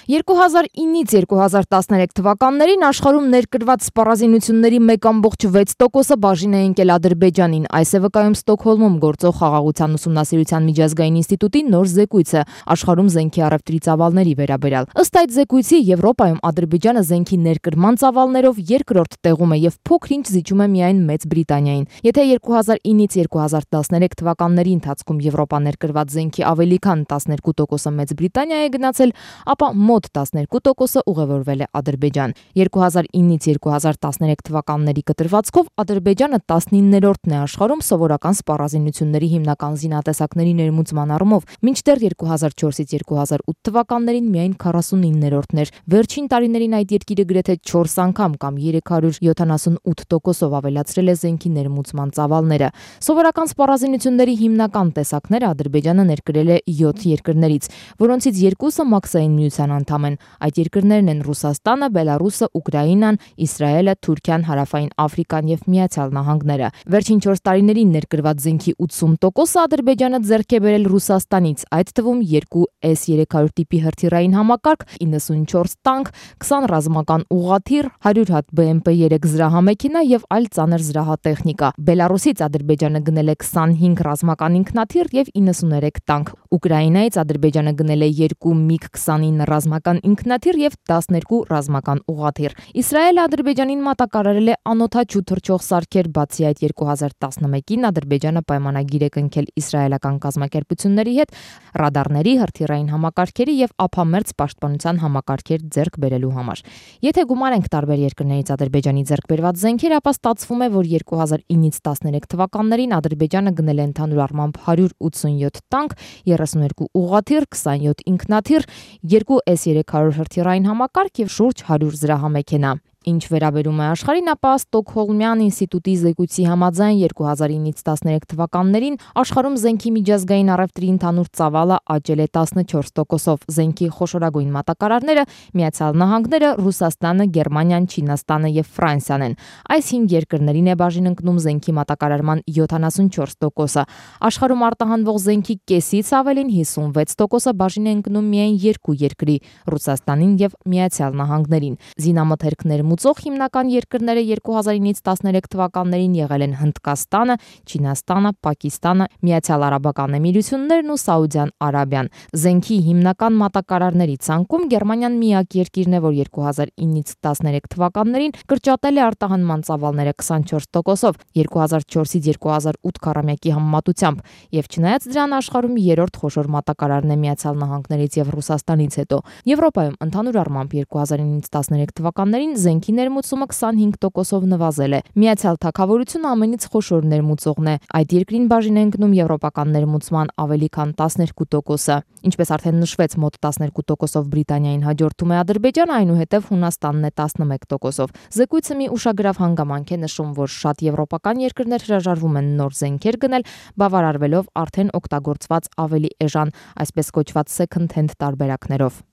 2009-ից 2013 թվականներին աշխարհում ներկրված սպառազինությունների 1,6%-ը բաժին է ընկել Ադրբեջանին։ Այս է վկայում Ստոկհոլմում գործող Խաղաղության ուսումնասիրության միջազգային ինստիտուտի նոր զեկույցը աշխարհում զենքի առևտրի ծավալների վերաբերյալ։ Ըստ այդ զեկույցի, Եվրոպայում Ադրբեջանը զենքի ներկրման ծավալներով երկրորդ տեղում է եւ փոքր-ինչ զիջում է միայն Մեծ Բրիտանիային։ Եթե 2009-ից 2013 թվականների ընթացքում Եվրոպա ներկրված զենքի ավելի քան 12%-ը Մեծ Բրիտանիա է գնացել, ապա մոտ 12%-ը ուղևորվել է Ադրբեջան։ 2009-ից 2013 թվականների կտրվածքով Ադրբեջանը 19-րդն է աշխարհում սովորական սպառազինությունների հիմնական զինատեսակների ներմուծման առումով, մինչդեռ 2004-ից 2008 թվականներին միայն 49-րդն էր։ Վերջին տարիներին այդ երկիրը գրեթե 4 անգամ կամ 378%-ով ավելացրել է զենքի ներմուծման ծավալները։ Սովորական սպառազինությունների հիմնական տեսակները Ադրբեջանը ներկրել է 7 երկրներից, որոնցից 2-ը Մաքսային միության անդամ են։ Այդ երկրներն են Ռուսաստանը, Բելարուսը, Ուկրաինան, Իսրայելը, Թուրքիան, Հարավային Աֆրիկան եւ Միացյալ Նահանգները։ Վերջին 4 տարիներին ներկրված զենքի 80%-ը Ադրբեջանը ձեռք է բերել Ռուսաստանից, այդ թվում 2 S-300 տիպի հրթիռային համակարգ, 94 տանկ, 20 ռազմական ուղղաթիռ, 100 հատ BMP-3 զրահամեքենա եւ այլ ծանր զրահատեխնիկա։ Բելարուսից Ադրբեջանը գնել է 25 ռազմական ինքնաթիռ եւ 93 տանկ։ Ուկրաինայից Ադրբեջանը գնել է 2 MiG-29 ռազմական ինքնաթիռ եւ 12 ռազմական ուղղաթիռ։ Իսրայելը Ադրբեջանին մատակարարել է անօդաչու թռչող սարքեր, բացի այդ 2011-ին Ադրբեջանը պայմանագիր է կնքել իսրայելական կազմակերպությունների հետ ռադարների, հրթիռային համակարգերի եւ ափամերձ պաշտպանության համակարգեր ձեռք բերելու համար։ Եթե գումարենք տարբեր երկրներից Ադրբեջանի ձեռք բերված զենքեր, ապա ստացվում է, որ 2009-ից 13 թվականներին Ադրբեջանը գնել է ընդհանուր առմամբ 187 տանկ, 32 ուղղաթիռ, 27 ինքնաթիռ, 2 S-300 հրթիռային համակարգ եւ շուրջ 100 զրահամեքենա։ Ինչ վերաբերում է աշխարհին, ապա Ստոկհոլմյան ինստիտուտի զեկույցի համաձայն 2009-ից 13 թվականներին աշխարհում զենքի միջազգային առևտրի ընդհանուր ծավալը աճել է 14%-ով։ Զենքի խոշորագույն մատակարարները Միացյալ Նահանգները, Ռուսաստանը, Գերմանիան, Չինաստանը եւ Ֆրանսիան են։ Այս 5 երկրներին է բաժին ընկնում զենքի մատակարարման 74%-ը։ Աշխարհում արտահանվող զենքի կեսից ավելին 56%-ը բաժին է ընկնում միայն 2 երկրի՝ Ռուսաստանին եւ Միացյալ Նահանգներին։ Զինամթերքներ մուծող հիմնական երկրները 2009-ից 13 թվականներին եղել են Հնդկաստանը, Չինաստանը, Պակիստանը, Միացյալ Արաբական Էմիրություններն ու Սաուդյան Արաբիան։ Զենքի հիմնական մատակարարների ցանկում Գերմանիան միակ երկիրն է, որ 2009-ից 13 թվականներին կրճատել է արտահանման ծավալները 24%-ով 2004-ից 2008 քառամյակի համեմատությամբ, եւ չնայած դրան աշխարհում երրորդ խոշոր մատակարարն է Միացյալ Նահանգներից եւ Ռուսաստանից հետո։ Եվրոպայում ընդհանուր առմամբ 2009-ից 13 թվականներին զենքի ներմուծումը 25%-ով նվազել է։ Միացյալ Թագավորությունը ամենից խոշոր ներմուծողն է։ Այդ երկրին բաժին է ընկնում եվրոպական ներմուծման ավելի քան 12%-ը։ Ինչպես արդեն նշվեց, մոտ 12%-ով Բրիտանիային հաջորդում է Ադրբեջանը, այնուհետև Հունաստանն է 11%-ով։ Զեկույցը մի ուշագրավ հանգամանք է նշում, որ շատ եվրոպական երկրներ հրաժարվում են նոր զենքեր գնել, բավարարվելով արդեն օգտագործված ավելի էժան, այսպես կոչված second hand տարբերակներով։